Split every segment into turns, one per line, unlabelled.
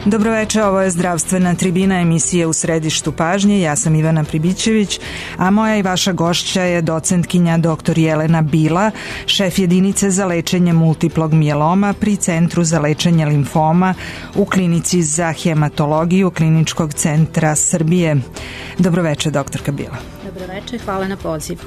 Dobroveče, ovo je Zdravstvena tribina, emisije U središtu pažnje. Ja sam Ivana Pribićević, a moja i vaša gošća je docentkinja dr. Jelena Bila, šef jedinice za lečenje multiplog mijeloma pri Centru za lečenje limfoma u Klinici za hematologiju Kliničkog centra Srbije. Dobroveče, doktorka Bila.
Dobroveče, hvala na pozivu.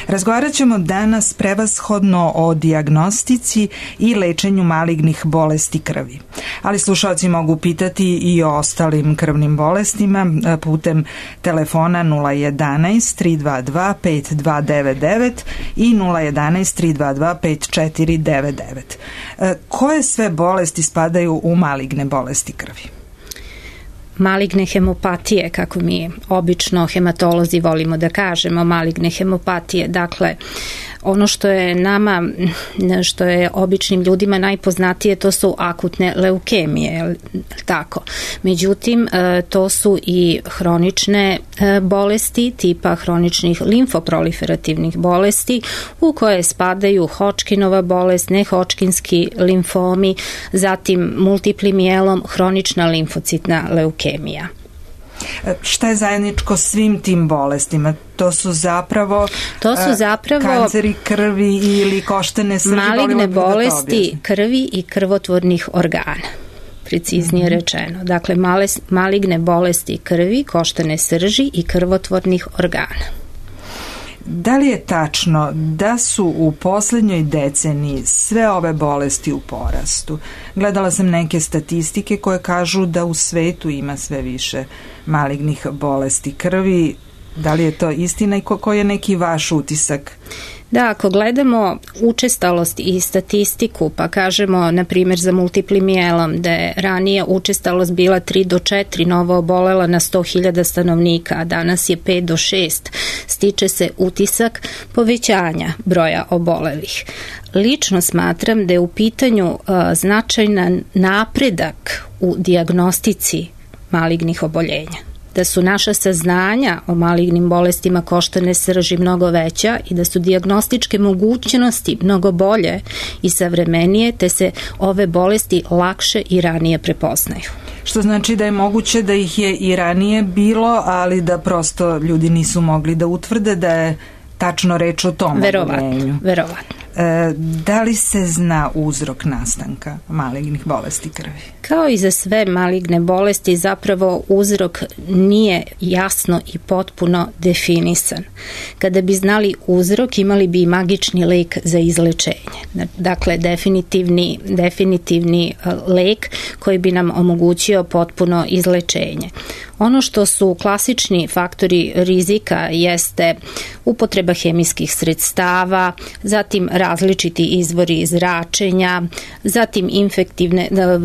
Razgovarat ćemo danas prevashodno o dijagnostici i lečenju malignih bolesti krvi. Ali slušalci mogu pitati i o ostalim krvnim bolestima putem telefona 011 322 5299 i 011 322 5499. Koje sve bolesti spadaju u maligne bolesti krvi?
Maligne hemopatije, kako mi obično hematolozi volimo da kažemo, maligne hemopatije, dakle, ono što je nama, što je običnim ljudima najpoznatije, to su akutne leukemije, tako. Međutim, to su i hronične bolesti, tipa hroničnih limfoproliferativnih bolesti, u koje spadaju Hodgkinova bolest, nehodgkinski limfomi, zatim multipli mijelom, hronična limfocitna leukemija.
Šta je zajedničko svim tim bolestima? To su zapravo kanceri krvi ili koštane srži?
Maligne bolesti krvi i krvotvornih organa, preciznije rečeno. Dakle, maligne bolesti krvi, koštane srži i krvotvornih organa.
Da li je tačno da su u poslednjoj deceniji sve ove bolesti u porastu? Gledala sam neke statistike koje kažu da u svetu ima sve više malignih bolesti krvi. Da li je to istina i koji je neki vaš utisak?
Da, ako gledamo učestalost i statistiku, pa kažemo, na primjer, za multipli mijelom, da je ranije učestalost bila 3 do 4 novo obolela na 100.000 stanovnika, a danas je 5 do 6, stiče se utisak povećanja broja obolelih. Lično smatram da je u pitanju značajan napredak u dijagnostici malignih oboljenja, da su naša saznanja o malignim bolestima koštane srži mnogo veća i da su dijagnostičke mogućnosti mnogo bolje i savremenije, te se ove bolesti lakše i ranije prepoznaju.
Što znači da je moguće da ih je i ranije bilo, ali da prosto ljudi nisu mogli da utvrde da je tačno reč o tom oboljenju.
Verovatno.
Da li se zna uzrok nastanka malignih bolesti krvi?
Kao i za sve maligne bolesti, zapravo uzrok nije jasno i potpuno definisan. Kada bi znali uzrok, imali bi i magični lek za izlečenje. Dakle, definitivni lek koji bi nam omogućio potpuno izlečenje. Ono što su klasični faktori rizika jeste upotreba hemijskih sredstava, zatim različiti izvori zračenja, zatim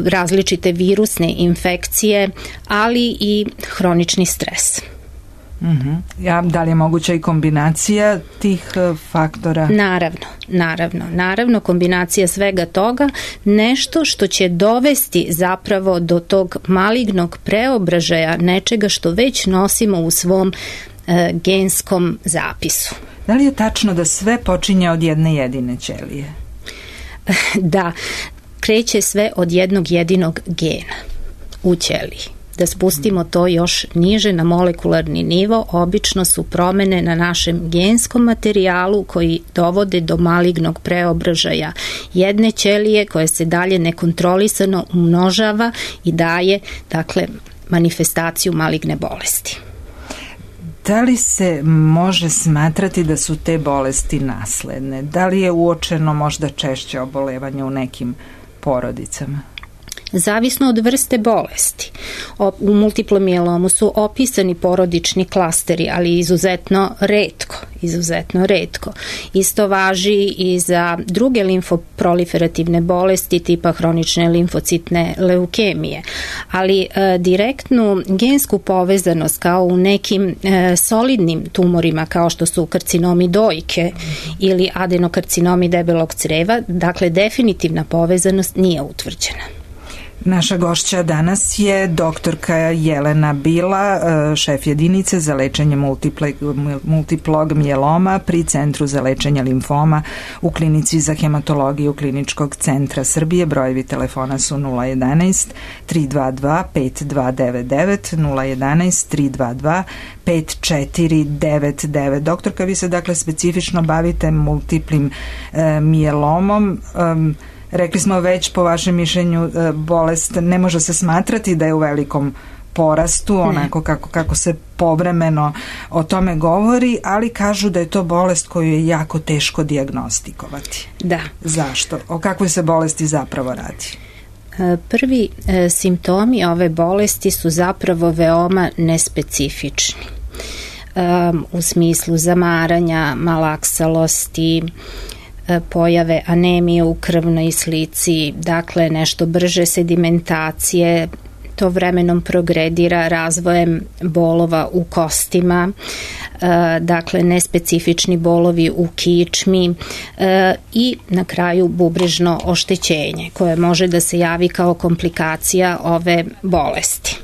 različite virusne infekcije, ali i hronični stres.
Da li je moguća i kombinacija tih faktora?
Naravno, kombinacija svega toga, nešto što će dovesti zapravo do tog malignog preobražaja nečega što već nosimo u svom genskom zapisu.
Da li je tačno da sve počinje od jedne jedine ćelije?
Da, kreće sve od jednog jedinog gena u ćeliji. Da spustimo to još niže na molekularni nivo, obično su promene na našem genskom materijalu koji dovode do malignog preobražaja jedne ćelije koja se dalje nekontrolisano umnožava i daje, dakle, manifestaciju maligne bolesti.
Da li se može smatrati da su te bolesti nasledne? Da li je uočeno možda češće obolevanje u nekim porodicama?
Zavisno od vrste bolesti. U multiplom mijelomu su opisani porodični klasteri, ali izuzetno retko. Isto važi i za druge limfoproliferativne bolesti tipa hronične limfocitne leukemije. Ali direktnu gensku povezanost kao u nekim solidnim tumorima kao što su karcinomi dojke ili adenokarcinomi debelog creva, dakle definitivna povezanost nije utvrđena.
Naša gošća danas je doktorka Jelena Bila, šef jedinice za lečenje multiplog mijeloma pri Centru za lečenje limfoma u Klinici za hematologiju Kliničkog centra Srbije. Brojevi telefona su 011 322 5299, 011 322 5499. Doktorka, vi se dakle specifično bavite multiplim mijelomom. Rekli smo već, po vašem mišljenju, bolest ne može se smatrati da je u velikom porastu, onako kako se povremeno o tome govori, ali kažu da je to bolest koju je jako teško dijagnostikovati.
Da.
Zašto? O kakvoj se bolesti zapravo radi?
Prvi simptomi ove bolesti su zapravo veoma nespecifični. U smislu zamaranja, malaksalosti, pojave anemije u krvnoj slici, dakle nešto brže sedimentacije, to vremenom progredira razvojem bolova u kostima, dakle nespecifični bolovi u kičmi i na kraju bubrežno oštećenje koje može da se javi kao komplikacija ove bolesti.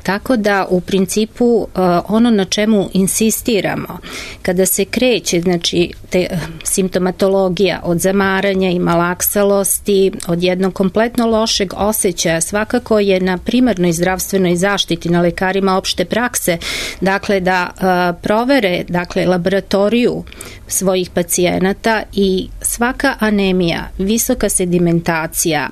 Tako da u principu ono na čemu insistiramo kada se kreće, znači simptomatologija od zamaranja i malaksalosti, od jednog kompletno lošeg osjećaja, svakako je na primarnoj zdravstvenoj zaštiti, na lekarima opšte prakse, dakle da provere laboratoriju svojih pacijenata i svaka anemija, visoka sedimentacija,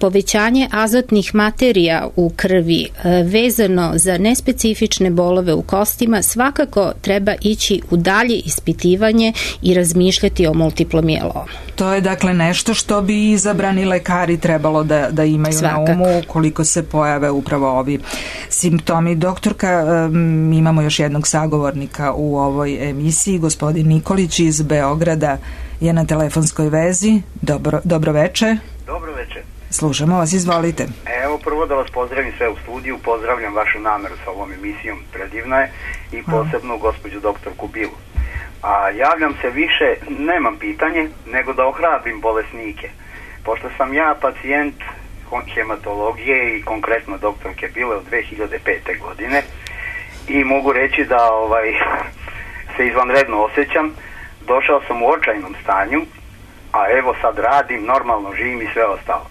povećanje azotnih materija u krvi, vezano za nespecifične bolove u kostima, svakako treba ići u dalje ispitivanje i razmišljati o multiplom mijelomu.
To je dakle nešto što bi izabrani lekari trebalo da imaju svakako na umu koliko se pojave upravo ovi simptomi. Doktorka, imamo još jednog sagovornika u ovoj emisiji, gospodin Nikolić iz Beograda je na telefonskoj vezi. Dobro veče.
Dobro veče.
Slušamo vas, izvolite.
Evo, prvo da vas pozdravim sve u studiju, pozdravljam vašu nameru sa ovom emisijom, predivna je, i posebno gospođu doktorku Bilu. A javljam se više, nemam pitanje, nego da ohrabrim bolesnike. Pošto sam ja pacijent hematologije i konkretno doktorke Bile od 2005. godine i mogu reći da se izvanredno osjećam, došao sam u očajnom stanju, a evo sad radim, normalno živim i sve ostalo.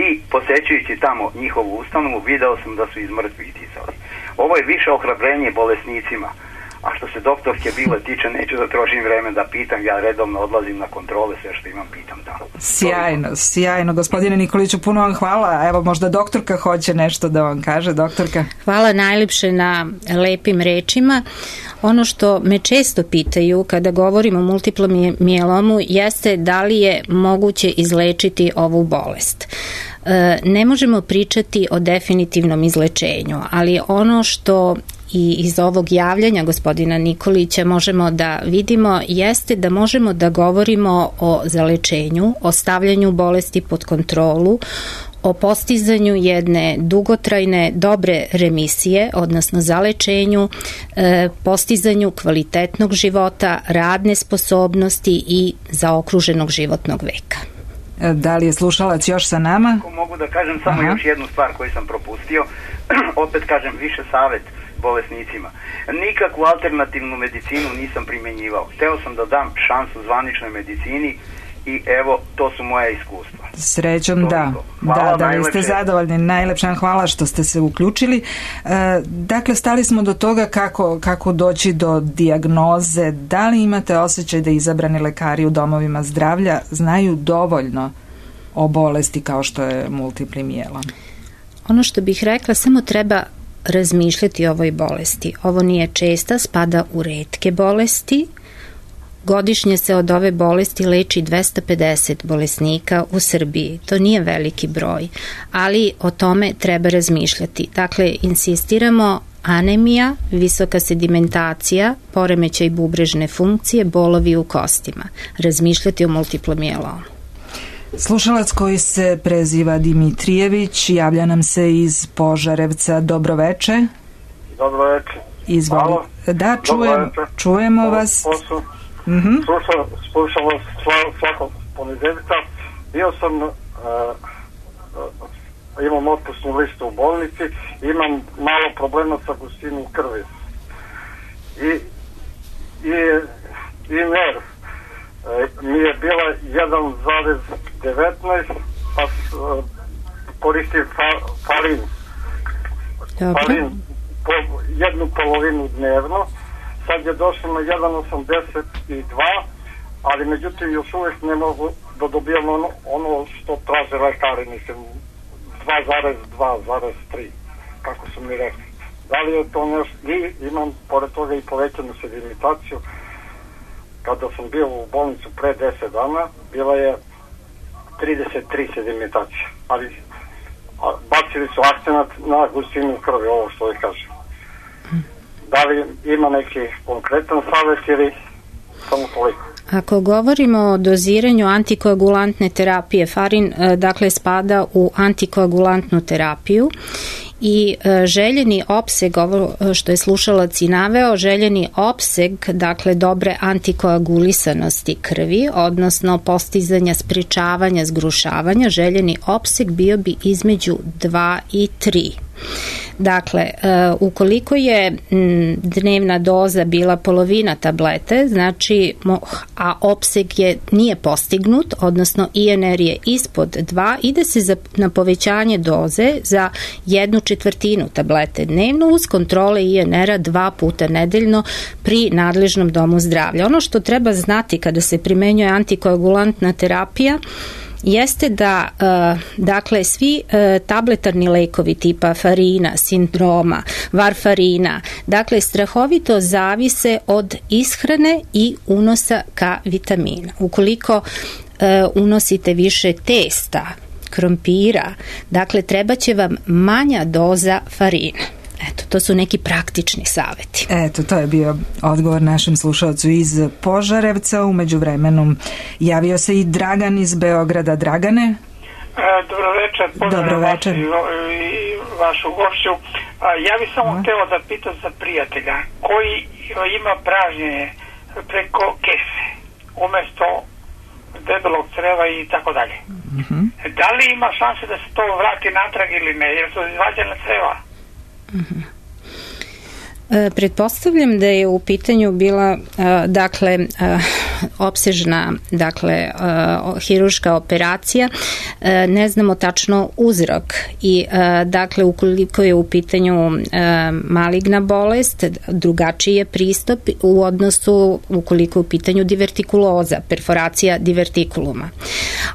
I posećujući tamo njihovu ustanovu, video sam da su iz mrtvih dizali. Ovo je više ohrabrenje bolesnicima. A što se doktorke Bile tiče, neću da trošim vreme da pitam, ja redovno odlazim na kontrole, sve što imam pitam tamo.
Sjajno. Gospodine Nikoliću, puno vam hvala. Evo, možda doktorka hoće nešto da vam kaže. Doktorka?
Hvala najlepše na lepim rečima. Ono što me često pitaju kada govorimo o multiplom mijelomu jeste da li je moguće izlečiti ovu bolest. Ne možemo pričati o definitivnom izlečenju, ali ono što i iz ovog javljanja gospodina Nikolića možemo da vidimo jeste da možemo da govorimo o zalečenju, o stavljanju bolesti pod kontrolu, o postizanju jedne dugotrajne dobre remisije, odnosno zalečenju, postizanju kvalitetnog života, radne sposobnosti i zaokruženog životnog veka.
Da li je slušalac još sa nama?
Mogu da kažem samo još jednu stvar koju sam propustio. Opet kažem, više savjet bolesnicima. Nikakvu alternativnu medicinu nisam primjenjivao. Hteo sam da dam šansu zvaničnoj medicini i evo, to su moja iskustva.
Srećom, da. Da li ste zadovoljni? Najlepša hvala što ste se uključili. Dakle, stali smo do toga kako doći do dijagnoze. Da li imate osjećaj da izabrani lekari u domovima zdravlja znaju dovoljno o bolesti kao što je multipli mijelom?
Ono što bih rekla, samo treba razmišljati o ovoj bolesti. Ovo nije česta, spada u retke bolesti. Godišnje se od ove bolesti leči 250 bolesnika u Srbiji. To nije veliki broj, ali o tome treba razmišljati. Dakle, insistiramo anemija, visoka sedimentacija, poremećaj bubrežne funkcije, bolovi u kostima. Razmišljati o multiplom mijelomu.
Slušalac koji se preziva Dimitrijević javlja nam se iz Požarevca. Dobro veče.
Dobro veče.
Izvolite. Da, čujemo vas.
Slušam vas svakog ponedeljka. Bio sam imam otpusnu listu u bolnici, imam malo problema sa gustinom krvi. I nerv mi je bila 1,19, pa koristim farin jednu polovinu dnevno. Sad je došlo na 1,82, ali međutim još uvijek ne mogu da dobijam ono što traže lekari, mislim 2,2,3 kako su mi rekli. Da li je to nešto? I imam pored toga i povećanu sedimentaciju. Kada sam bio u bolnicu pre 10 dana, bila je 33 sedimentacija, ali bacili su akcenat na gustinu krvi, ovo što je kažem. Da li ima neki konkretan savjet ili samo toliko?
Ako govorimo o doziranju antikoagulantne terapije, farin dakle spada u antikoagulantnu terapiju i željeni opseg, ovo što je slušalac i naveo, željeni opseg dakle dobre antikoagulisanosti krvi, odnosno postizanja sprečavanja zgrušavanja, željeni opseg bio bi između 2 i 3. Dakle, ukoliko je dnevna doza bila polovina tablete, znači, a opseg nije postignut, odnosno INR je ispod 2, ide se na povećanje doze za 1/4 tablete dnevno uz kontrole INR-a 2 puta nedeljno pri nadležnom domu zdravlja. Ono što treba znati kada se primenjuje antikoagulantna terapija jeste da dakle svi tabletarni lekovi tipa farina, sindroma, varfarina, dakle strahovito zavise od ishrane i unosa K vitamina. Ukoliko unosite više testa, krompira, dakle treba će vam manja doza farina. Eto, to su neki praktični saveti.
Eto, to je bio odgovor našem slušalcu iz Požarevca. Umeđu vremenu javio se i Dragan iz Beograda. Dragane?
Dobro večer, pozdravljam vas i vašu gošću. Ja bih samo hteo da pitam za prijatelja koji ima pražnjenje preko kese umesto debelog creva i tako dalje. Da li ima šanse da se to vrati natrag ili ne, jer su izvađene creva?
Pretpostavljam da je u pitanju bila dakle opsežna hirurška operacija, ne znamo tačno uzrok i dakle ukoliko je u pitanju maligna bolest, drugačiji je pristup u odnosu ukoliko je u pitanju divertikuloza, perforacija divertikuluma,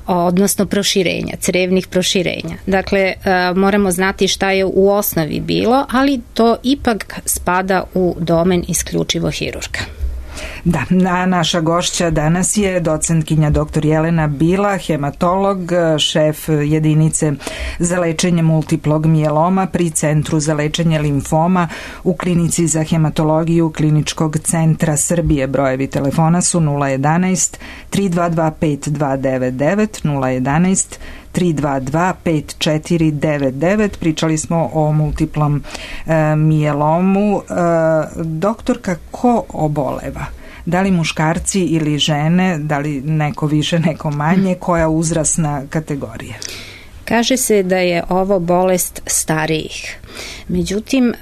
odnosno proširenja, crevnih proširenja. Dakle, moramo znati šta je u osnovi bilo, ali to ipak spada u domen isključivo hirurga.
Da, naša gošća danas je docentkinja dr. Jelena Bila, hematolog, šef jedinice za lečenje multiplog mijeloma pri Centru za lečenje limfoma u Klinici za hematologiju Kliničkog centra Srbije. Brojevi telefona su 011 322 5299, 011 322 5499. Pričali smo o multiplom mijelomu. Doktorka, ko oboleva? Da li muškarci ili žene, da li neko više, neko manje, koja uzrasna kategorija?
Kaže se da je ovo bolest starijih. Međutim,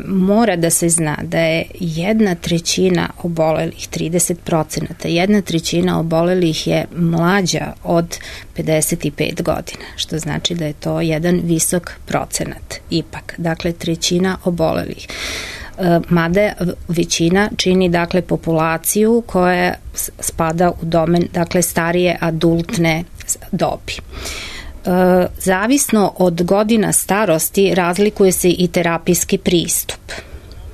mora da se zna da je 1/3 obolelih, 30%, 1/3 obolelih je mlađa od 55 godina, što znači da je to jedan visok procenat ipak. Dakle, 1/3 obolelih. Mada većina čini dakle populaciju koja spada u domen dakle starije adultne dobi. Zavisno od godina starosti razlikuje se i terapijski pristup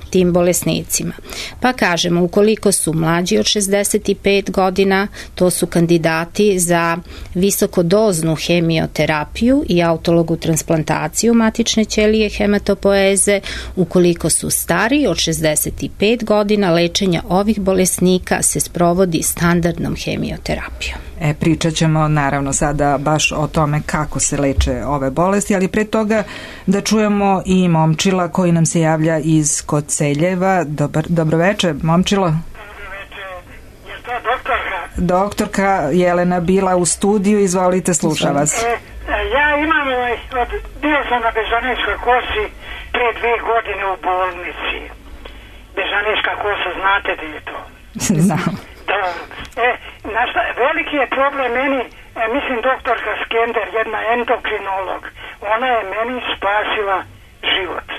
tim bolesnicima. Pa kažemo, ukoliko su mlađi od 65 godina, to su kandidati za visokodoznu hemioterapiju i autologu transplantaciju matične ćelije hematopoeze. Ukoliko su stariji od 65 godina, lečenje ovih bolesnika se sprovodi standardnom hemioterapijom.
Pričat ćemo naravno sada baš o tome kako se leče ove bolesti, ali pre toga da čujemo i Momčila koji nam se javlja iz Koceljeva. Dobro večer, Momčilo.
Dobro večer, je to doktorka?
Doktorka Jelena Bila u studiju, izvolite, sluša vas.
Ja imam, bio sam na Bežanijskoj kosi pre 2 godine u bolnici. Bežanijska kosa, znate da je to?
Znam.
Veliki je problem meni, mislim doktorka Skender, jedna endokrinolog, ona je meni spasila život.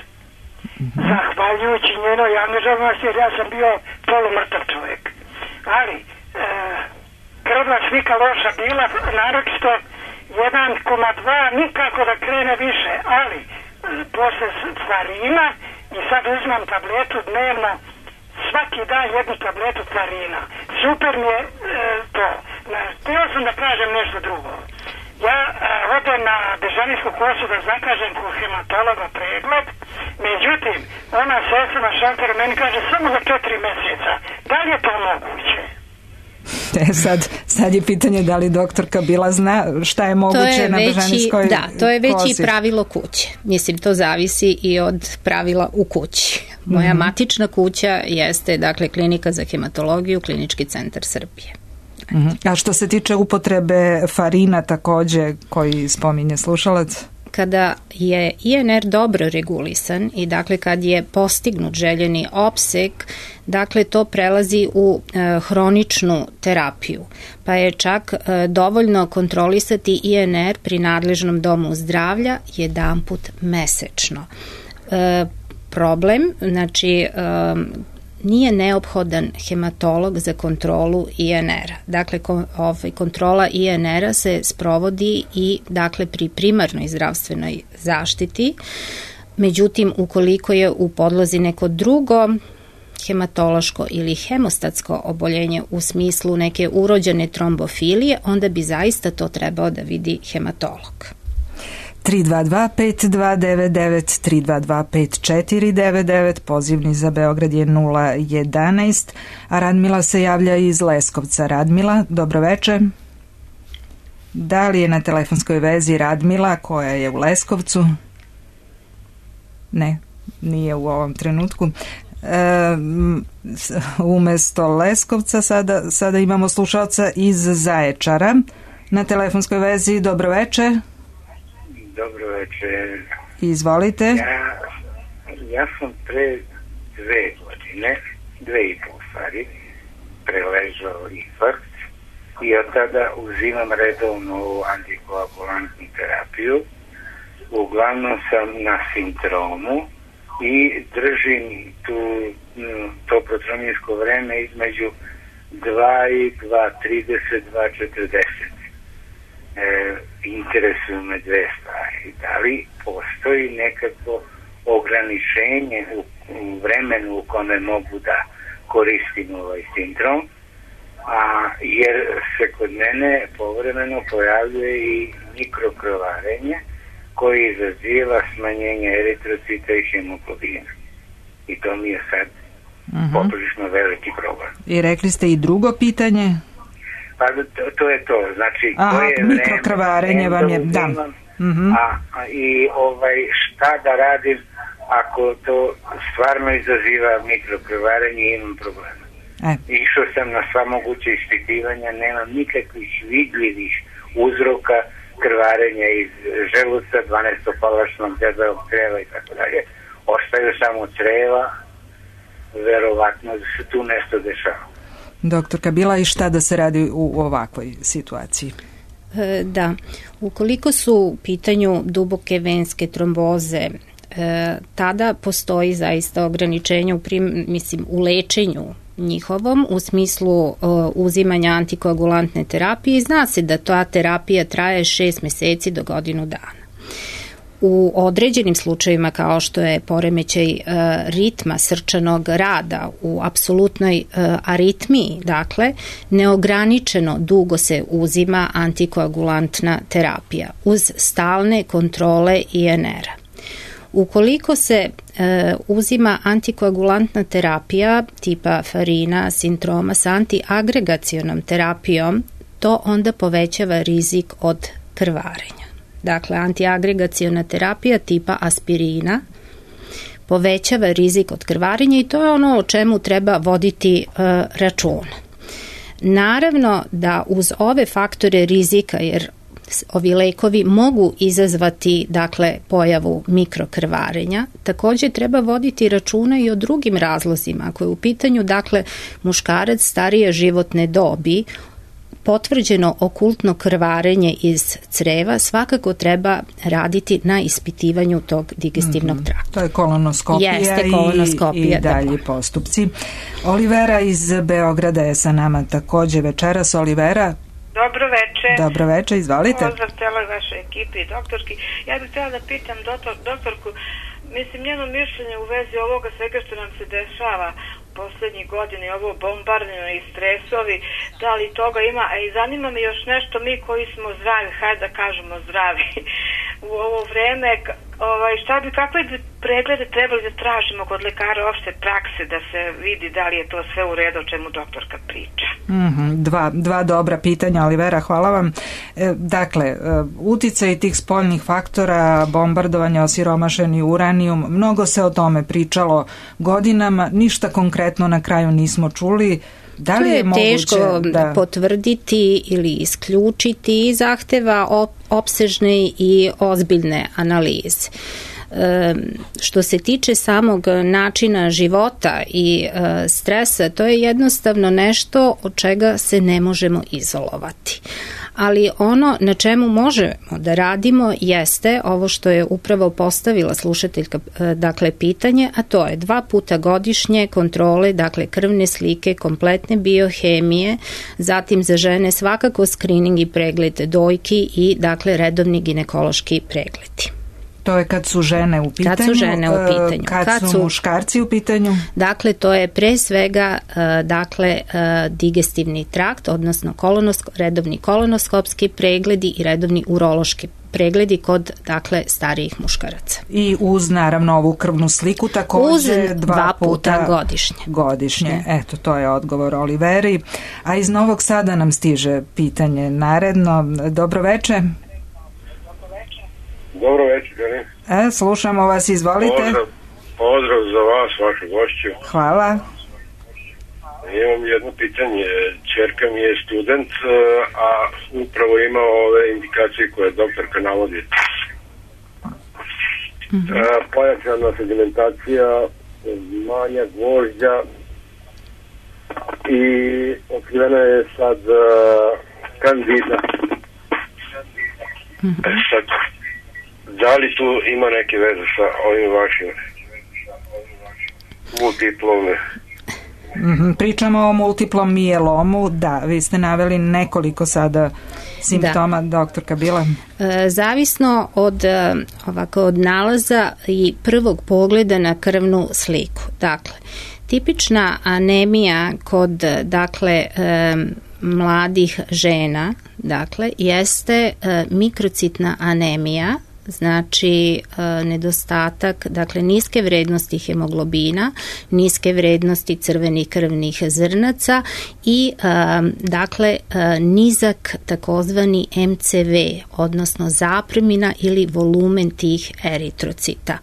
Zahvaljujući njenoj angažovanosti, jer ja sam bio polumrtav čovjek. Ali, krvna slika loša bila, naročito 1,2, nikako da krene više, ali posle farina i sad uzmam tabletu dnevno, svaki dan jednu tabletu farina. Super mi je to. Htio sam da kažem nešto drugo. Ja odem na Bežanijsku kosu da zakažem kod hematologa pregled, međutim, ona sestra na šalteru meni kaže samo za 4 mjeseca. Da li je to moguće?
Sad je pitanje da li doktorka Bila zna šta je moguće na Bežanijskoj kosi.
Da, to je već i pravilo kuće. Mislim, to zavisi i od pravila u kući. Moja matična kuća jeste, dakle, Klinika za hematologiju, Klinički centar Srbije.
A što se tiče upotrebe farina takođe koji spominje slušalac?
Kada je INR dobro regulisan i dakle kad je postignut željeni opseg, dakle to prelazi u hroničnu terapiju, pa je čak dovoljno kontrolisati INR pri nadležnom domu zdravlja jedanput mesečno. Problem, znači nije neophodan hematolog za kontrolu INR-a. Dakle, kontrola INR-a se sprovodi i dakle pri primarnoj zdravstvenoj zaštiti. Međutim, ukoliko je u podlozi neko drugo hematološko ili hemostatsko oboljenje u smislu neke urođene trombofilije, onda bi zaista to trebao da vidi hematolog.
322-5299, 322-5499, pozivni za Beograd je 011, a Radmila se javlja iz Leskovca. Radmila, dobroveče. Da li je na telefonskoj vezi Radmila koja je u Leskovcu? Ne, nije u ovom trenutku. Umesto Leskovca sada imamo slušalca iz Zaječara. Na telefonskoj vezi, dobroveče.
Dobro večer.
Izvolite.
Ja sam pre 2 godine, 2,5 stvari, preležao infarkt i od tada uzimam redovnu antikoagulantnu terapiju. Uglavnom sam na Sintromu i držim to protrominsko vreme između 2,30, 2,40. Interesuju me 2 stvari. Da li postoji nekako ograničenje u vremenu u kome mogu da koristim ovaj sindrom, jer se kod mene povremeno pojavljuje i mikrokrvarenje koji izaziva smanjenje eritrocita i hemoglobina. I to mi je sad poprilično veliki problem.
I rekli ste i drugo pitanje?
Pa to je to, znači
mikrokrvarenje vam je, da.
I šta da radim ako to stvarno izaziva mikrokrvarenje i imam problema. Išao sam na sva moguće ispitivanja, nemam nikakvih vidljivih uzroka krvarenja iz želuca, 12-palačnog debelog creva i tako dalje. Ostaju samo creva, verovatno da se tu nešto dešava.
Doktorka Bila, i šta da se radi u ovakvoj situaciji?
Da, ukoliko su u pitanju duboke venske tromboze, tada postoji zaista ograničenje u lečenju njihovom u smislu uzimanja antikoagulantne terapije i zna se da ta terapija traje 6 meseci do godinu dana. U određenim slučajevima kao što je poremećaj ritma srčanog rada u apsolutnoj aritmiji, dakle, neograničeno dugo se uzima antikoagulantna terapija uz stalne kontrole INR-a. Ukoliko se uzima antikoagulantna terapija tipa farina, sintroma sa antiagregacionom terapijom, to onda povećava rizik od krvarenja. Dakle, antiagregaciona terapija tipa aspirina povećava rizik od krvarenja i to je ono o čemu treba voditi računa. Naravno da uz ove faktore rizika, jer ovi lekovi mogu izazvati dakle pojavu mikrokrvarenja. Također treba voditi računa i o drugim razlozima. Ako je u pitanju dakle muškarac starije životne dobi, potvrđeno okultno krvarenje iz creva, svakako treba raditi na ispitivanju tog digestivnog trakta.
To je kolonoskopija, i dalji postupci. Olivera iz Beograda je sa nama također večeras. Olivera, dobro večer, izvolite.
Pozdrav celoj vašoj ekipi i doktorki. Ja bih htjela da pitam doktorku, mislim njeno mišljenje u vezi ovoga svega što nam se dešava posljednjih godina i ovo bombardno i stresovi, da li toga ima, a i zanima me još nešto, mi koji smo zdravi, hajde da kažemo zdravi u ovo vreme, kakve bi preglede trebali da tražimo kod lekara opšte prakse da se vidi da li je to sve u redu o čemu doktorka priča.
Dva dobra pitanja, Olivera, hvala vam. Dakle, uticaj tih spoljnih faktora, bombardovanja, osiromašeni uranijum, mnogo se o tome pričalo godinama, ništa konkretno na kraju nismo čuli. Da li je
teško potvrditi ili isključiti i zahteva opsežne i ozbiljne analize. Što se tiče samog načina života i stresa, to je jednostavno nešto od čega se ne možemo izolovati. Ali ono na čemu možemo da radimo jeste ovo što je upravo postavila slušateljka, dakle pitanje, a to je 2 puta godišnje kontrole, dakle krvne slike, kompletne biohemije, zatim za žene svakako skrining i pregled dojki i dakle redovni ginekološki pregledi.
To je kad su žene u pitanju. Kad su muškarci u pitanju?
Dakle, to je pre svega digestivni trakt, odnosno redovni kolonoskopski pregledi i redovni urološki pregledi kod starijih muškaraca.
I uz naravno ovu krvnu sliku također
uz 2 puta
godišnje. Eto, to je odgovor Oliveri. A iz Novog Sada nam stiže pitanje naredno. Dobro večer.
Dobro večer.
Slušamo vas, izvolite.
Pozdrav za vas, vašu gošću.
Hvala.
Imam jedno pitanje. Ćerka mi je student, a upravo ima ove indikacije koje doktorka navodi. Pojačana sedimentacija, manja gvožđa i otkrivena je sad kandida. Sad, da li tu ima neke veze sa ovim vašim multiplom?
Pričamo o multiplom mijelomu, da, vi ste naveli nekoliko sada simptoma, doktorka Bila.
Zavisno od nalaza i prvog pogleda na krvnu sliku. Dakle, tipična anemija kod mladih žena, jeste mikrocitna anemija, znači nedostatak, niske vrednosti hemoglobina, niske vrednosti crvenih krvnih zrnaca i nizak takozvani MCV, odnosno zapremina ili volumen tih eritrocita.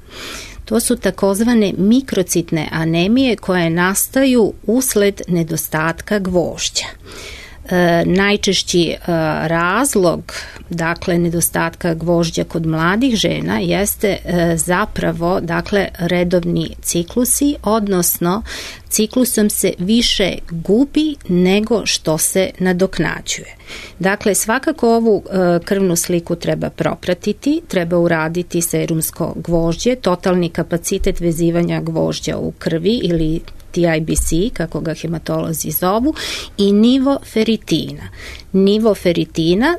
To su takozvane mikrocitne anemije koje nastaju usled nedostatka gvožđa. Najčešći razlog nedostatka gvožđa kod mladih žena jeste zapravo redovni ciklusi, odnosno ciklusom se više gubi nego što se nadoknađuje. Dakle, svakako ovu krvnu sliku treba propratiti, treba uraditi serumsko gvožđe, totalni kapacitet vezivanja gvožđa u krvi ili TIBC, kako ga hematolozi zovu, i nivo feritina. Nivo feritina,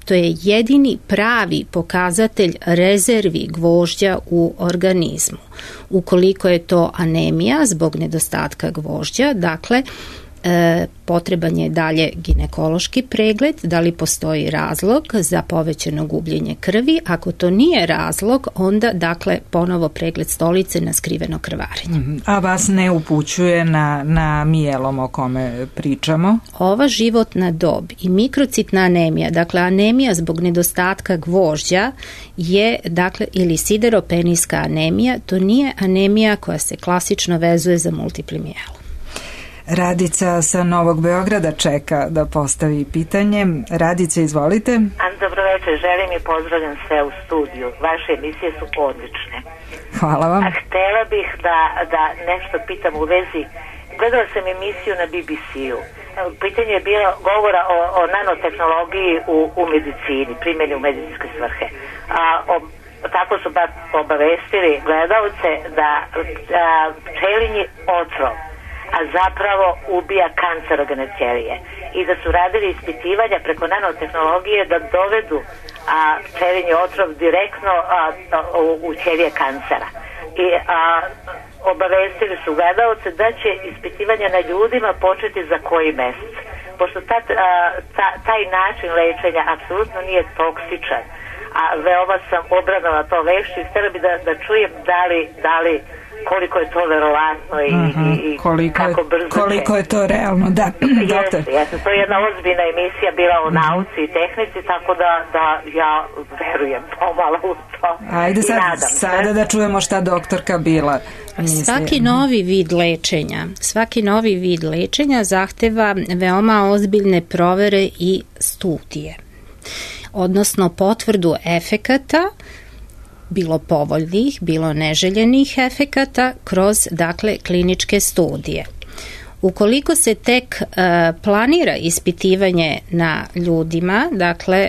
to je jedini pravi pokazatelj rezervi gvožđa u organizmu. Ukoliko je to anemija zbog nedostatka gvožđa, potreban je dalje ginekološki pregled, da li postoji razlog za povećano gubljenje krvi. Ako to nije razlog, onda ponovo pregled stolice na skriveno krvarenje.
A vas ne upućuje na mijelom o kome pričamo?
Ova životna dob i mikrocitna anemija, anemija zbog nedostatka gvožđa je, ili sideropenijska anemija, to nije anemija koja se klasično vezuje za multipli mijelom.
Radica sa Novog Beograda čeka da postavi pitanje. Radice, izvolite.
Dobro večer, želim i pozdravljam sve u studiju. Vaše emisije su odlične.
Hvala vam.
A htela bih da nešto pitam u vezi. Gledala sam emisiju na BBC-u. Pitanje je bilo govora o nanotehnologiji u medicini, primjeni u medicinske svrhe. Tako su obavestili gledalce da pčelinji otrov a zapravo ubija kancerogene ćelije i da su radili ispitivanja preko nanotehnologije da dovedu pčelinji otrov direktno u ćelije kancera. I obavestili su gledalce da će ispitivanja na ljudima početi za koji mesec. Pošto taj način lečenja apsolutno nije toksičan, a veoma sam obradala to vešću i htjela bi da čujem da li koliko je to verovatno i kako brzo
koliko je to realno, da.
Jeste, to je jedna ozbiljna emisija bila o nauci i tehnici, tako da ja verujem pomalo u to.
Ajde sada da čujemo šta doktorka Bila misli.
Svaki novi vid lečenja zahteva veoma ozbiljne provere i studije, odnosno potvrdu efekata, bilo povoljnih, bilo neželjenih efekata kroz, dakle, kliničke studije. Ukoliko se tek planira ispitivanje na ljudima, dakle,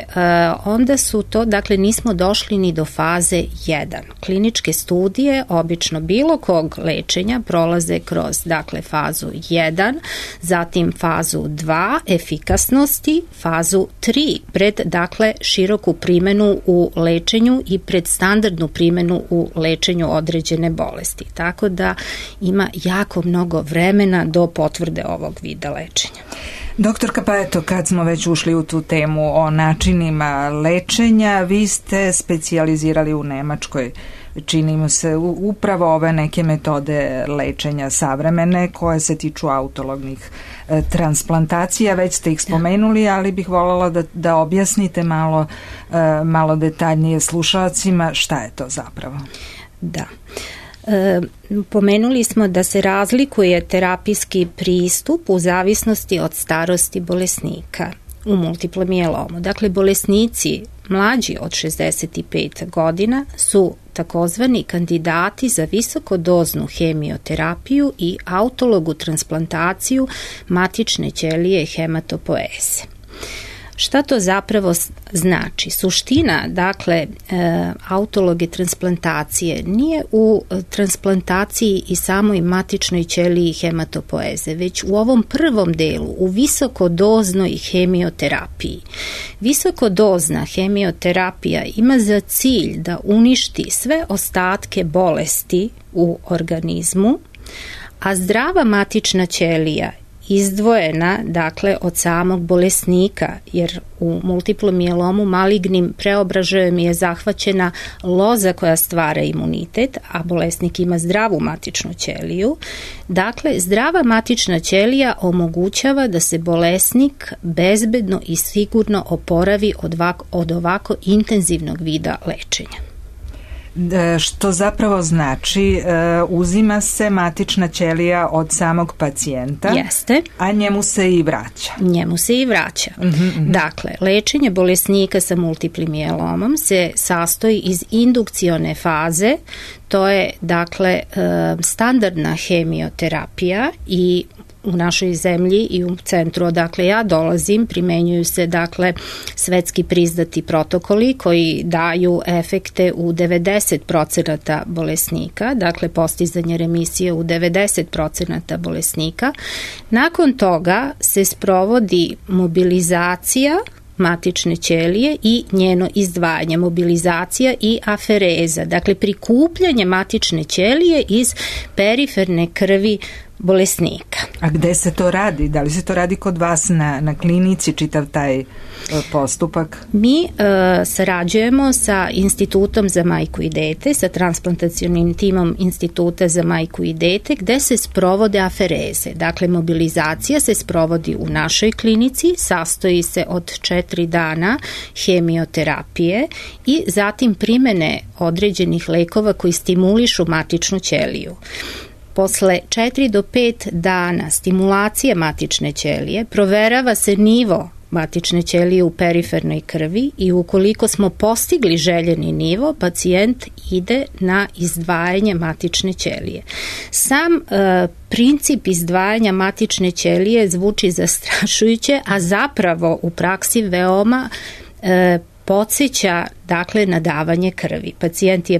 onda su to, dakle, nismo došli ni do faze 1. Kliničke studije, obično bilo kog lečenja, prolaze kroz, dakle, fazu 1, zatim fazu 2, efikasnosti, fazu 3, pred, dakle, široku primjenu u lečenju i pred standardnu primjenu u lečenju određene bolesti. Tako da ima jako mnogo vremena do potvrde ovog vida lečenja.
Doktorka, pa eto, kad smo već ušli u tu temu o načinima lečenja, vi ste specijalizirali u Nemačkoj, čini mi se, upravo ove neke metode lečenja savremene koje se tiču autolognih transplantacija. Već ste ih spomenuli, ali bih voljela da objasnite malo detaljnije slušalcima šta je to zapravo.
Da. Pomenuli smo da se razlikuje terapijski pristup u zavisnosti od starosti bolesnika u multiplom mijelomu. Dakle, bolesnici mlađi od 65 godina su takozvani kandidati za visokodoznu hemioterapiju i autologu transplantaciju matične ćelije hematopoeze. Šta to zapravo znači? Suština, dakle, autologe transplantacije nije u transplantaciji i samoj matičnoj ćeliji hematopoeze, već u ovom prvom delu, u visokodoznoj hemioterapiji. Visokodozna hemioterapija ima za cilj da uništi sve ostatke bolesti u organizmu, a zdrava matična ćelija izdvojena, dakle, od samog bolesnika, jer u multiplom mijelomu malignim preobražajem je zahvaćena loza koja stvara imunitet, a bolesnik ima zdravu matičnu ćeliju. Dakle, zdrava matična ćelija omogućava da se bolesnik bezbedno i sigurno oporavi od ovako intenzivnog vida lečenja.
Što zapravo znači uzima se matična ćelija od samog pacijenta.
Jeste.
A njemu se i vraća.
Njemu se i vraća. Dakle, lečenje bolesnika sa multiplim mijelomom se sastoji iz indukcione faze, to je, dakle, standardna hemioterapija i u našoj zemlji i u centru odakle ja dolazim primenjuju se, dakle, svetski priznati protokoli koji daju efekte u 90% bolesnika, dakle postizanje remisije u 90% bolesnika. Nakon toga se sprovodi mobilizacija matične ćelije i njeno izdvajanje, mobilizacija i afereza, dakle prikupljanje matične ćelije iz periferne krvi bolesnika.
A gde se to radi? Da li se to radi kod vas na klinici, čitav taj postupak?
Mi sarađujemo sa Institutom za majku i dete, sa transplantacionim timom Instituta za majku i dete, gde se sprovode afereze. Dakle, mobilizacija se sprovodi u našoj klinici, sastoji se od 4 dana hemioterapije i zatim primene određenih lekova koji stimulišu matičnu ćeliju. posle 4 do 5 dana stimulacije matične ćelije proverava se nivo matične ćelije u perifernoj krvi i ukoliko smo postigli željeni nivo, pacijent ide na izdvajanje matične ćelije. Sam princip izdvajanja matične ćelije zvuči zastrašujuće, a zapravo u praksi veoma podsjeća dakle na davanje krvi. Pacijent je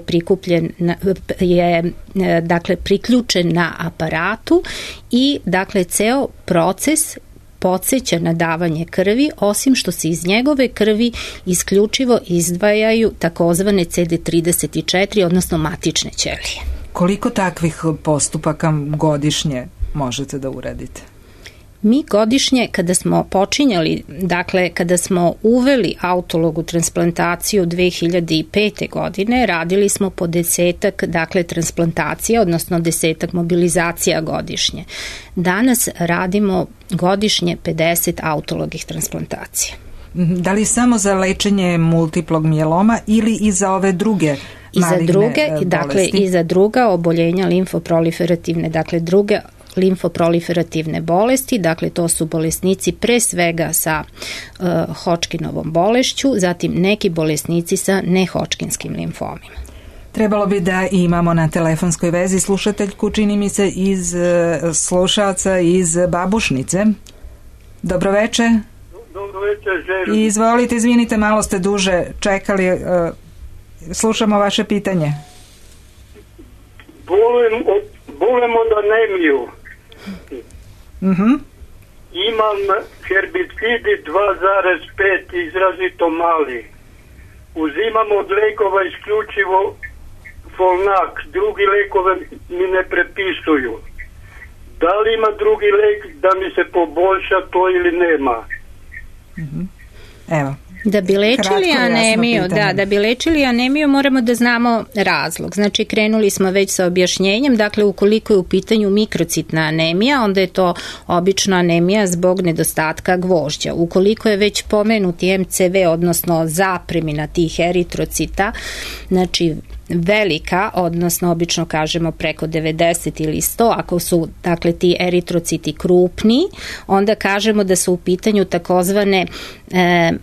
priključen na aparatu i dakle ceo proces podsjeća na davanje krvi, osim što se iz njegove krvi isključivo izdvajaju takozvane CD34, odnosno matične ćelije.
Koliko takvih postupaka godišnje možete da uradite?
Mi godišnje, kada smo počinjali, dakle, kada smo uveli autologu transplantaciju 2005. godine, radili smo po 10 dakle, transplantacija, odnosno 10 mobilizacija godišnje. Danas radimo godišnje 50 autologih transplantacija.
Da li samo za lečenje multiplog mijeloma ili i za ove druge maligne bolesti?
Dakle, i za druga oboljenja limfoproliferativne, dakle, druge limfoproliferativne bolesti, dakle to su bolesnici pre svega sa Hodgkinovom bolešću, zatim neki bolesnici sa nehodgkinskim limfomima.
Trebalo bi da imamo na telefonskoj vezi slušateljku, čini mi se, iz slušalca iz Babušnice. Dobroveče.
Dobroveče, želim.
Izvolite, izvinite, malo ste duže čekali. Slušamo vaše pitanje.
Bolem od anemiju. Imam herbicidi 2,5 izrazito mali. Uzimam od lekova isključivo Folnak, drugi lekove mi ne prepisuju. Da li ima drugi lek da mi se poboljša to ili nema?
Evo.
Da bi lečili anemiju, da bi lečili anemiju moramo da znamo razlog. Znači krenuli smo već sa objašnjenjem, dakle ukoliko je u pitanju mikrocitna anemija, onda je to obično anemija zbog nedostatka gvožđa. Ukoliko je već pomenuti MCV, odnosno zapremina tih eritrocita, znači velika, odnosno obično kažemo preko 90 ili 100, ako su dakle ti eritrociti krupni, onda kažemo da su u pitanju takozvane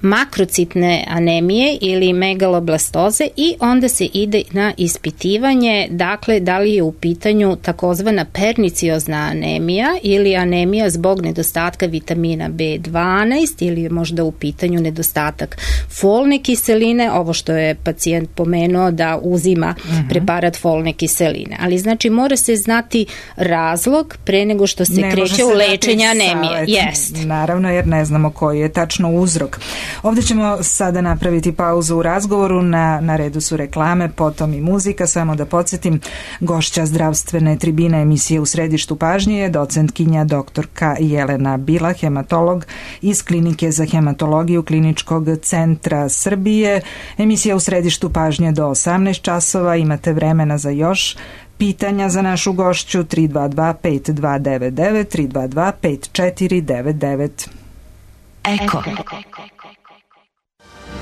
makrocitne anemije ili megaloblastoze i onda se ide na ispitivanje, dakle da li je u pitanju takozvana perniciozna anemija ili anemija zbog nedostatka vitamina B12 ili je možda u pitanju nedostatak folne kiseline, ovo što je pacijent pomenuo da uzima preparat folne kiseline. Ali znači mora se znati razlog pre nego što se kreće u lečenje anemije. Jest.
Naravno, jer ne znamo koji je tačno uzrok. Ovdje ćemo sada napraviti pauzu u razgovoru, na redu su reklame, potom i muzika. Samo da podsjetim, gošća zdravstvene tribine emisije U središtu pažnje je docentkinja doktorka Jelena Bila, hematolog iz Klinike za hematologiju Kliničkog centra Srbije. Emisija U središtu pažnje do 18 časova. Imate vremena za još pitanja za našu gošću 322-5299, 322-5499.
Eko.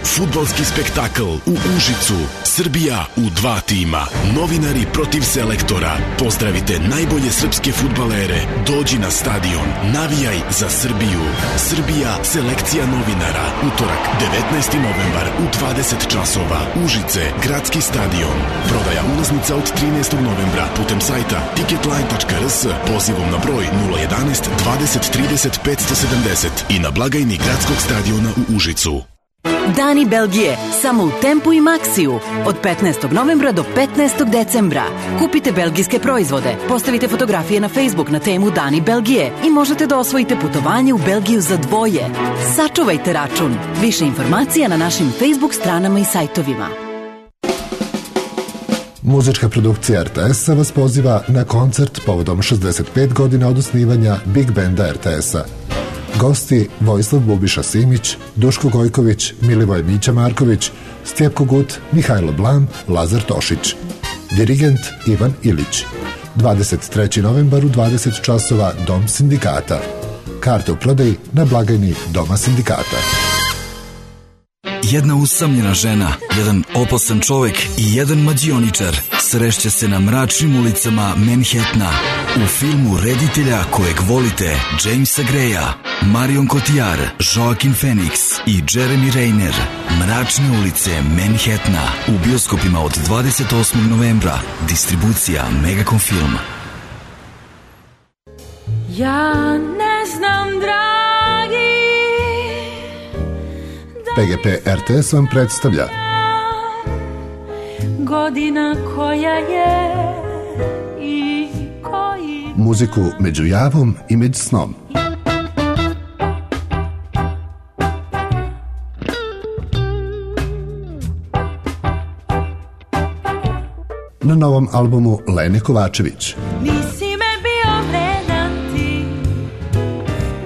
Fudbalski spektakl u Užicu. Srbija u 2 tima. Novinari protiv selektora. Pozdravite najbolje srpske fudbalere. Dođi na stadion. Navijaj za Srbiju. Srbija, selekcija novinara. Utorak, 19. novembar u 20 časova. Užice, gradski stadion. Prodaja ulaznica od 13. novembra putem sajta ticketline.rs, pozivom na broj 011 20 30 570 i na blagajni gradskog stadiona u Užicu.
Dani Belgije, samo u Tempu i Maxiju, od 15. novembra do 15. decembra. Kupite belgijske proizvode, postavite fotografije na Facebook na temu Dani Belgije i možete da osvojite putovanje u Belgiju za 2. Sačuvajte račun. Više informacija na našim Facebook stranama i sajtovima.
Muzička produkcija RTS-a vas poziva na koncert povodom 65 godina od osnivanja Big Banda RTS-a. Gosti Vojislav Bubiša Simić, Duško Gojković, Milivoj Mića Marković, Stjepko Gut, Mihajlo Blam, Lazar Tošić. Dirigent Ivan Ilić. 23. novembar u 20 časova Dom sindikata. Karte u prodaji na blagajni Doma sindikata.
Jedna usamljena žena, jedan opasan čovek i jedan mađioničar. srešće se na mračnim ulicama Manhattana. U filmu reditelja kojeg volite Jamesa Greya, Marion Cotillard, Joaquin Phoenix i Jeremy Renner. Mračne ulice Manhattana u bioskopima od 28. novembra. Distribucija Megacom Film.
Ja ne znam, dragi,
PGP RTS vam predstavlja
godina koja je i koji...
muziku među javom i među snom. Na novom albumu Lene Kovačević.
Nisi me bio vredan ti,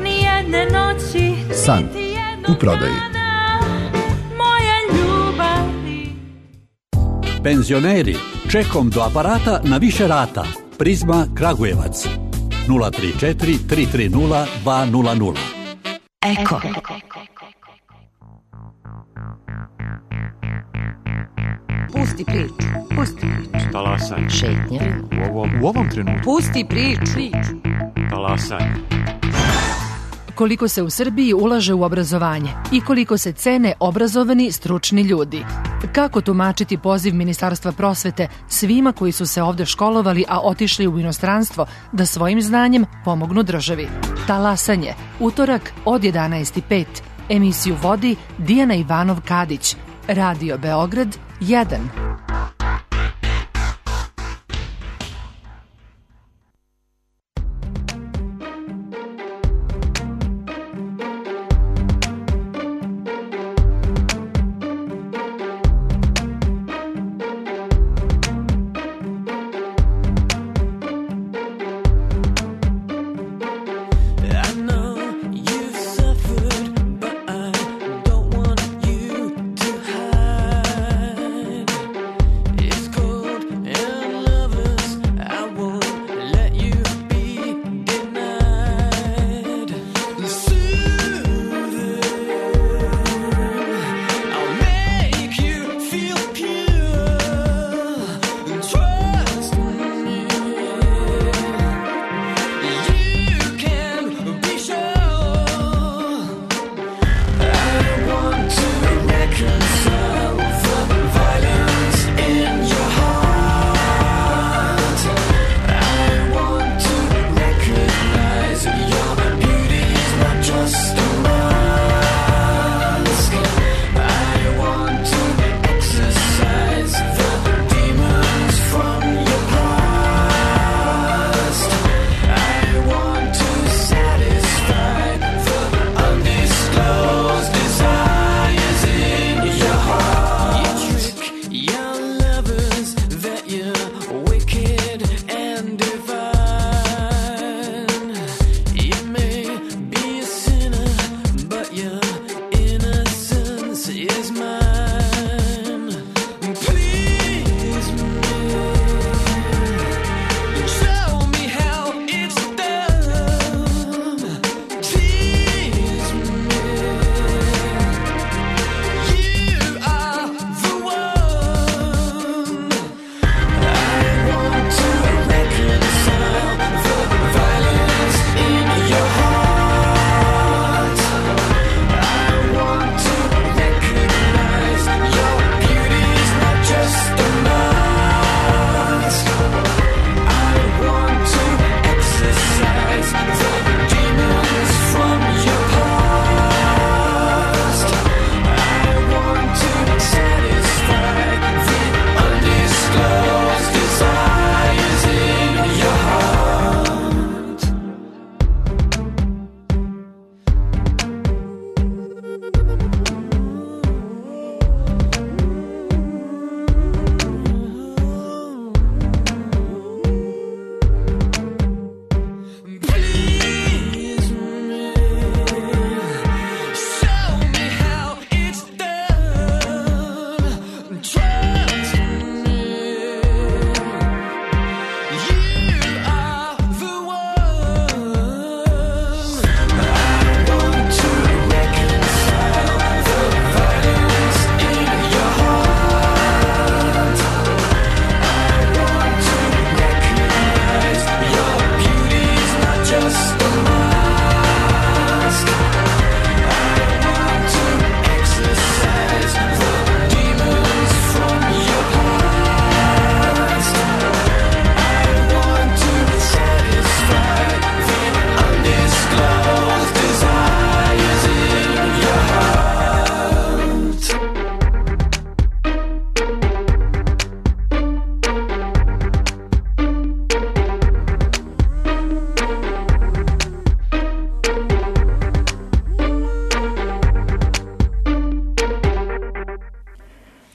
nijedne noći,
San u prodaji.
moja ljubavi.
Penzioneri, čekom do aparata na više rata. Prizma Kragujevac 034 330 200.
Eko.
Pusti priču, pusti priču.
Talasanje.
Šetnja.
U ovom trenutku.
Pusti priču.
Talasanje.
Koliko se u Srbiji ulaže u obrazovanje i koliko se cene obrazovani stručni ljudi. Kako tumačiti poziv Ministarstva prosvete svima koji su se ovde školovali, a otišli u inostranstvo da svojim znanjem pomognu državi? Talasanje, utorak od 11:05. Emisiju vodi Dijana Ivanov-Kadić. Radio Beograd 1.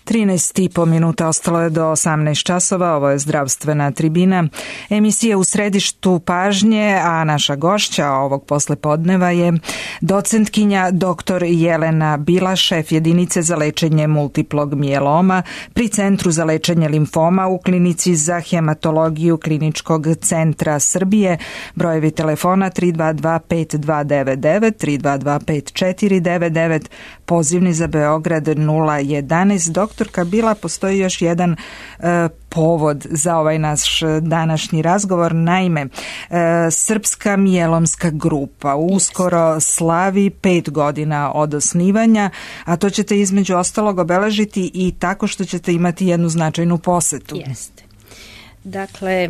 13,5 minuta ostalo je do 18 časova, ovo je zdravstvena tribina. Emisija u središtu pažnje, a naša gošća ovog poslepodneva je docentkinja dr. Jelena Bila, šef jedinice za lečenje multiplog mijeloma pri Centru za lečenje limfoma u Klinici za hematologiju Kliničkog centra Srbije. Brojevi telefona 322 5299, 322 5499, pozivni za Beograd 011. Doktorka Bila, postoji još jedan povod za ovaj naš današnji razgovor. Naime, Srpska mijelomska grupa uskoro slavi 5 godina od osnivanja, a to ćete između ostalog obeležiti i tako što ćete imati jednu značajnu posetu.
Jeste. Dakle,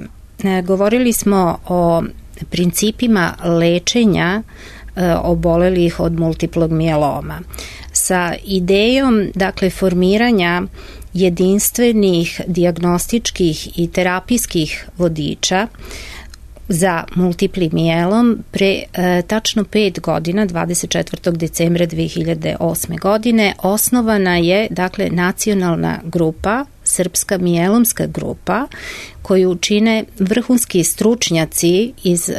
govorili smo o principima lečenja obolelih od multiplog mijeloma sa idejom, dakle, formiranja jedinstvenih dijagnostičkih i terapijskih vodiča za multipli mijelom pre tačno 5 godina, 24. decembra 2008. godine, osnovana je, dakle, nacionalna grupa, Srpska mijelomska grupa, koju čine vrhunski stručnjaci iz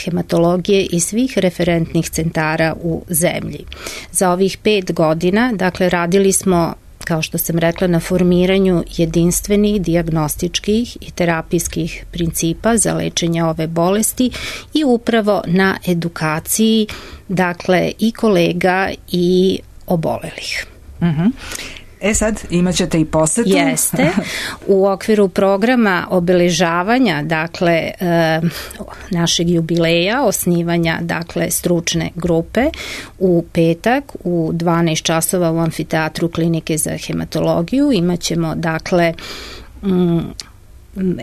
hematologije i svih referentnih centara u zemlji. Za ovih 5 godina, dakle, radili smo, kao što sam rekla, na formiranju jedinstvenih dijagnostičkih i terapijskih principa za lečenje ove bolesti i upravo na edukaciji, dakle, i kolega i obolelih.
Sad imat ćete i posetu.
Jeste. U okviru programa obeležavanja, dakle, našeg jubileja, osnivanja, dakle, stručne grupe, u petak u 12 časova u amfiteatru Klinike za hematologiju imat ćemo, dakle,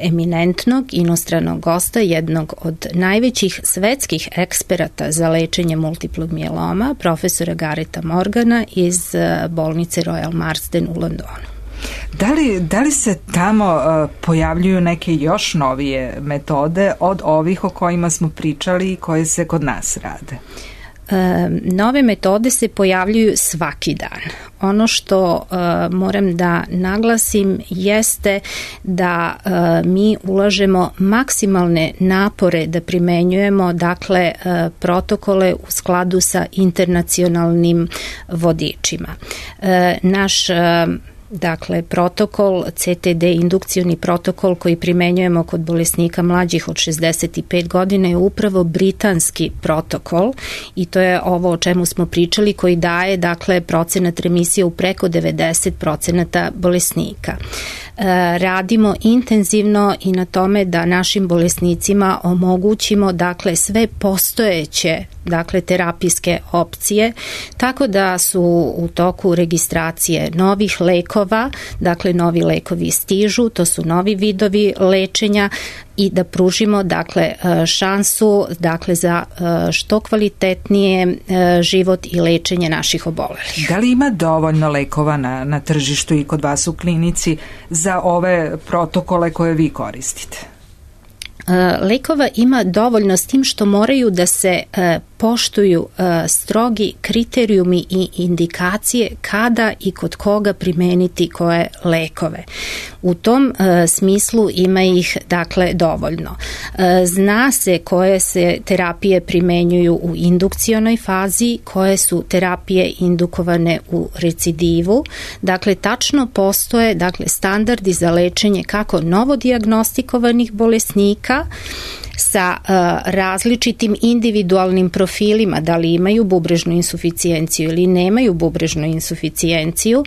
eminentnog inostranog gosta, jednog od najvećih svetskih eksperata za lečenje multiplog mijeloma, profesora Gareta Morgana iz bolnice Royal Marsden u Londonu.
Da li se tamo pojavljuju neke još novije metode od ovih o kojima smo pričali i koje se kod nas rade?
Nove metode se pojavljuju svaki dan. Ono što moram da naglasim jeste da mi ulažemo maksimalne napore da primenjujemo, dakle, protokole u skladu sa internacionalnim vodičima. Naš dakle, protokol, CTD, indukcioni protokol koji primenjujemo kod bolesnika mlađih od 65 godina je upravo britanski protokol i to je ovo o čemu smo pričali, koji daje, dakle, procenat remisije u preko 90% bolesnika. Radimo intenzivno i na tome da našim bolesnicima omogućimo, dakle, sve postojeće, dakle, terapijske opcije, tako da su u toku registracije novih lekova, dakle, novi lekovi stižu, to su novi vidovi lečenja, i da pružimo, dakle, šansu, dakle, za što kvalitetnije život i lečenje naših obolelih.
Da li ima dovoljno lekova na tržištu i kod vas u klinici za ove protokole koje vi koristite?
Lekova ima dovoljno, s tim što moraju da se poštuju strogi kriterijumi i indikacije kada i kod koga primeniti koje lekove. U tom smislu ima ih, dakle, dovoljno. Zna se koje se terapije primenjuju u indukcionoj fazi, koje su terapije indukovane u recidivu. Dakle, tačno postoje, dakle, standardi za lečenje kako novodijagnostikovanih bolesnika sa različitim individualnim profilima, da li imaju bubrežnu insuficijenciju ili nemaju bubrežnu insuficijenciju,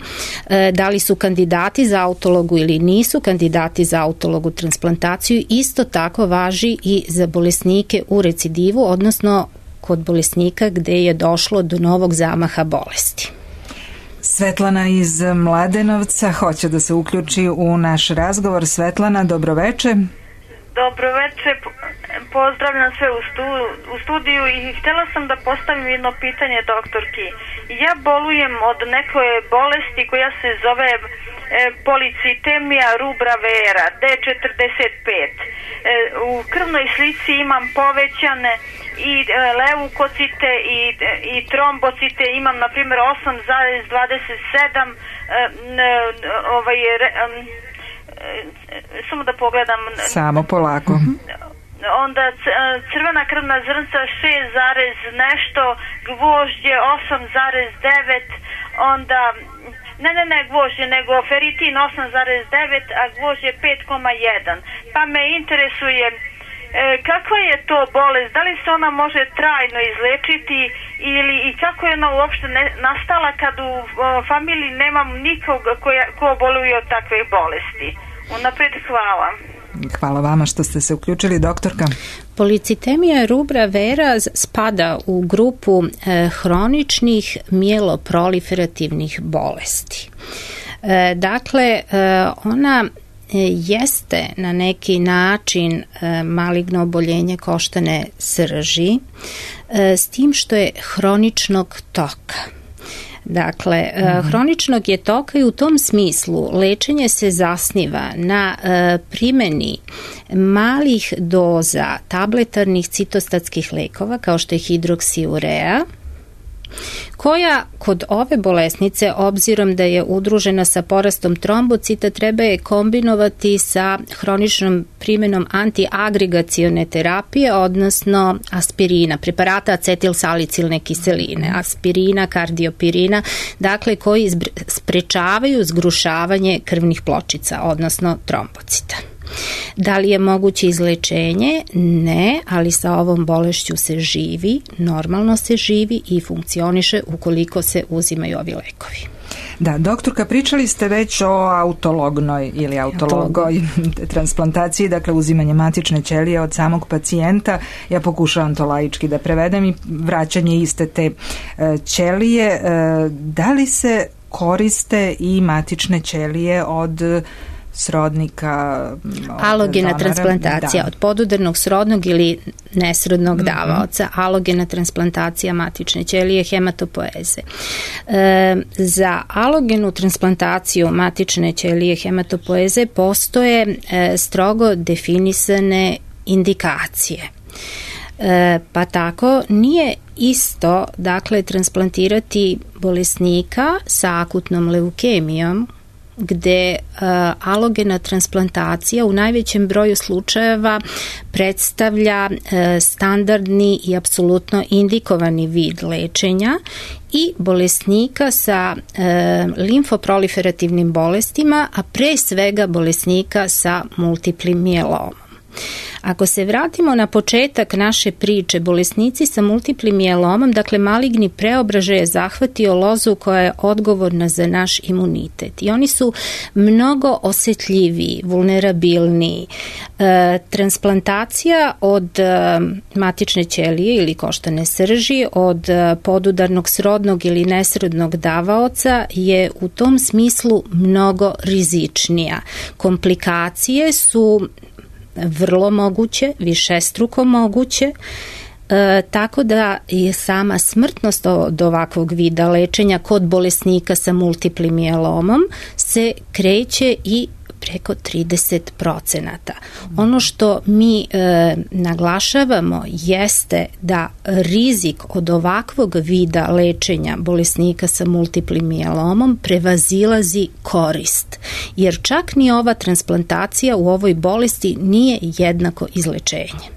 da li su kandidati za autologu ili nisu kandidati za autologu transplantaciju. Isto tako važi i za bolesnike u recidivu, odnosno kod bolesnika gde je došlo do novog zamaha bolesti.
Svetlana iz Mladenovca hoće da se uključi u naš razgovor. Svetlana, dobroveče.
Dobro veče. Pozdravljam sve u studiju i htjela sam da postavim jedno pitanje doktorki. Ja bolujem od neke bolesti koja se zove policitemija rubra vera D45. U krvnoj slici imam povećane i leukocite i trombocite, imam na primjer 8,27 samo da pogledam.
Samo polako.
Onda crvena krvna zrnca 6, nešto, gvožđe 8,9, onda ne gvožđe, nego feritin 8,9, a gvožđe 5,1. Pa me interesuje kakva je to bolest, da li se ona može trajno izlečiti i kako je ona uopšte nastala kad u familiji nemam nikog ko boluje od takve bolesti. Unapred hvala.
Hvala vama što ste se uključili, doktorka.
Policitemija rubra vera spada u grupu hroničnih mijeloproliferativnih bolesti. Dakle, ona jeste na neki način maligno oboljenje koštane srži, s tim što je hroničnog toka. Dakle, hroničnog je toka i u tom smislu lečenje se zasniva na primjeni malih doza tabletarnih citostatskih lekova kao što je hidroksiurea, koja kod ove bolesnice, obzirom da je udružena sa porastom trombocita, treba je kombinovati sa hroničnom primjenom antiagregacione terapije, odnosno aspirina, preparata acetilsalicilne kiseline, aspirina, kardiopirina, dakle koji sprečavaju zgrušavanje krvnih pločica, odnosno trombocita. Da li je moguće izlečenje? Ne, ali sa ovom bolešću se živi, normalno se živi i funkcioniše ukoliko se uzimaju ovi lekovi.
Da, doktorka, pričali ste već o autolognoj ili autologoj transplantaciji, dakle uzimanje matične ćelije od samog pacijenta. Ja pokušavam to laički da prevedem i vraćanje iste te ćelije. Da li se koriste i matične ćelije od srodnika,
alogena transplantacija od podudarnog srodnog ili nesrodnog davaoca, alogena transplantacija matične ćelije, hematopoeze. Za alogenu transplantaciju matične ćelije hematopoeze postoje strogo definisane indikacije. Pa tako nije isto, dakle, transplantirati bolesnika sa akutnom leukemijom, gde alogena transplantacija u najvećem broju slučajeva predstavlja standardni i apsolutno indikovani vid lečenja, i bolesnika sa limfoproliferativnim bolestima, a pre svega bolesnika sa multiplim mijelomom. Ako se vratimo na početak naše priče, bolesnici sa multiplim mijelomom, dakle maligni preobražaj je zahvatio lozu koja je odgovorna za naš imunitet i oni su mnogo osjetljiviji, vulnerabilniji. Transplantacija od matične ćelije ili koštane srži, od podudarnog srodnog ili nesrodnog davaoca je u tom smislu mnogo rizičnija. Komplikacije su vrlo moguće, višestruko moguće, tako da je sama smrtnost od ovakvog vida lečenja kod bolesnika sa multiplim mijelomom se kreće i preko 30%. Ono što mi naglašavamo jeste da rizik od ovakvog vida lečenja bolesnika sa multiplim mijelomom prevazilazi korist, jer čak ni ova transplantacija u ovoj bolesti nije jednako izlečenje.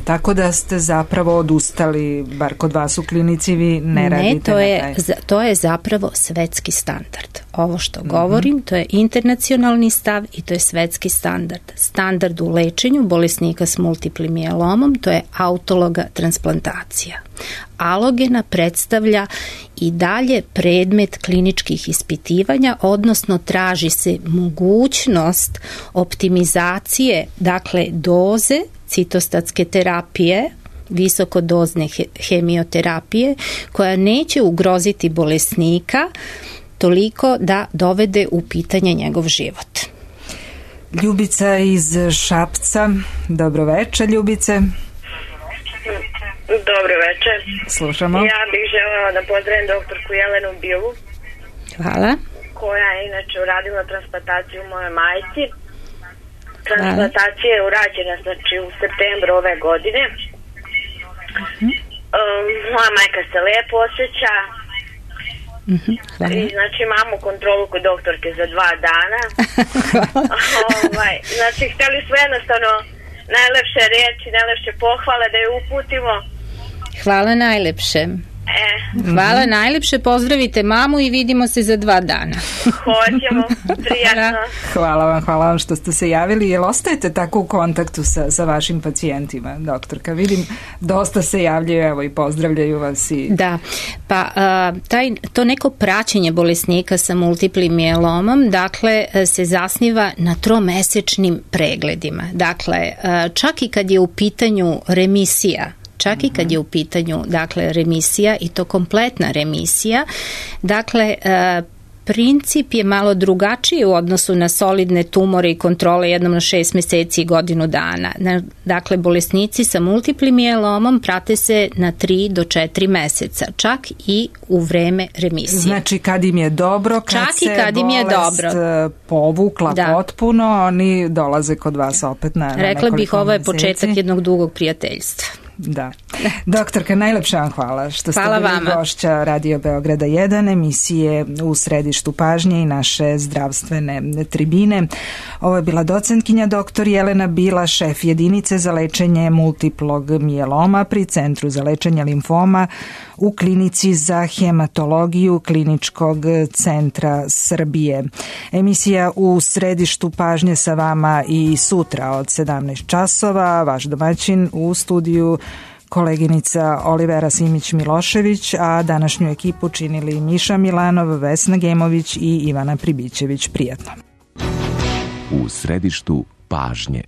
Tako da ste zapravo odustali, bar kod vas u klinici, vi ne radite
to je zapravo svetski standard. Ovo što govorim, to je internacionalni stav i to je svetski standard. Standard u lečenju bolesnika s multiplim mijelomom, to je autologa transplantacija. Alogena predstavlja i dalje predmet kliničkih ispitivanja, odnosno traži se mogućnost optimizacije, dakle doze citostatske terapije, visokodozne hemioterapije, koja neće ugroziti bolesnika toliko da dovede u pitanje njegov život.
Ljubica iz Šapca. Dobro večer, Ljubice.
Dobro večer.
Slušamo.
Ja bih želela da pozdravim doktorku Jelenu Bilu.
Hvala.
Koja je inače uradila transplantaciju moje majci. Transplantacija je urađena znači u septembru ove godine. Moja majka se lepo osjeća. I znači imamo kontrolu kod doktorke za 2 dana. Znači htjeli smo jednostavno najlepše reči, najlepše pohvale da je uputimo.
Hvala najlepše. Hvala najlepše, pozdravite mamu i vidimo se za 2 dana.
Hoćemo, prijatno.
Hvala vam što ste se javili. Jel ostajete tako u kontaktu sa vašim pacijentima, doktorka? Vidim, dosta se javljaju, evo i pozdravljaju vas.
Da, pa to neko praćenje bolesnika sa multiplim mielomom, dakle, se zasniva na 3-mesečnim pregledima. Dakle, čak i kad je u pitanju remisija, čak i kad je u pitanju, dakle, remisija i to kompletna remisija, dakle, princip je malo drugačiji u odnosu na solidne tumore i kontrole jednom na 6 meseci i godinu dana. Dakle, bolesnici sa multiplim mielomom prate se na 3 do 4 meseca, čak i u vreme remisije.
Znači, kad im je dobro, kad bolest povukla potpuno, oni dolaze kod vas opet na nekoliko meseci.
Rekla bih, ovo je početak jednog dugog prijateljstva.
Da. Doktorka, najlepša vam hvala što ste bili gošća Radio Beograda 1, emisije U središtu pažnje i naše zdravstvene tribine. Ovo je bila docentkinja dr. Jelena Bila, šef jedinice za lečenje multiplog mieloma pri Centru za lečenje limfoma u Klinici za hematologiju Kliničkog centra Srbije. Emisija U središtu pažnje sa vama i sutra od 17 časova. Vaš domaćin u studiju koleginica Olivera Simić-Milošević, a današnju ekipu činili Miša Milanov, Vesna Gemović i Ivana Pribićević. Prijatno.
U središtu pažnje.